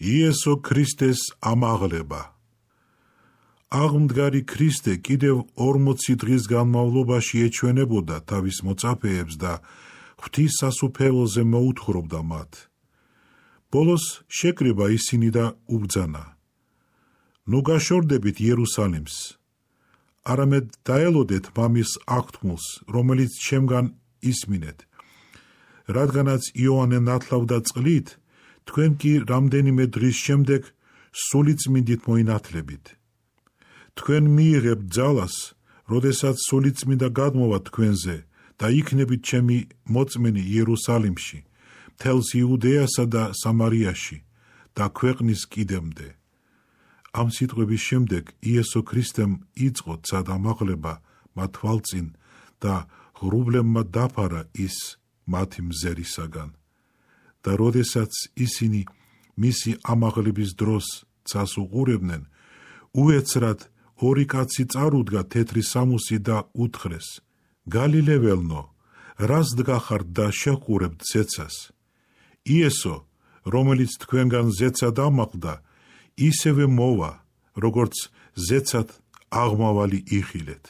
იესო ქრისტეს ამაღლება. აღმდგარი ქრისტე კიდევ 40 დღის განმავლობაში ეჩვენებოდა თავის მოწაფეებს და ღვთის სასუფეველზე მოუთხრობდა მათ. ბოლოს შეკრიბა ისინი და უბრძანა: ნუ გაშორდებით იერუსალიმს, არამედ დაელოდეთ მამის აღთქმულს, რომელიც ჩემგან ისმინეთ. რადგანაც იოანე ნათლავდა წყლით, თქვენ კი რამდენიმე დღის შემდეგ სულიწმინდით მოინათლებით. თქვენ მიიღებთ ძალას, როდესაც სულიწმინდა გადმოვა თქვენზე და იქნებით ჩემი მოწმენი იერუსალიმში, მთელს იუდეასა და სამარიაში და ქვეყნის კიდემდე. ამ სიტყვების შემდეგ იესო ქრისტემ იწყო ცადამაღლება მათ თვალწინ და ღრუბლებმა დაფარა ის მათი მზერისაგან. და როდესაც ისინი მისი ამაღლების დროს ცას უყურებდნენ, უეცრად ორი კაცი წარუდგა თეთრი სამუსი და უთხრეს: გალილეველნო, რას დგახართ და შეჰყურებთ ზეცას? იესო, რომელიც თქვენგან ზეცად ამაყდა, ისევე მოვა, როგორც ზეცად აღმავალი იხილეთ.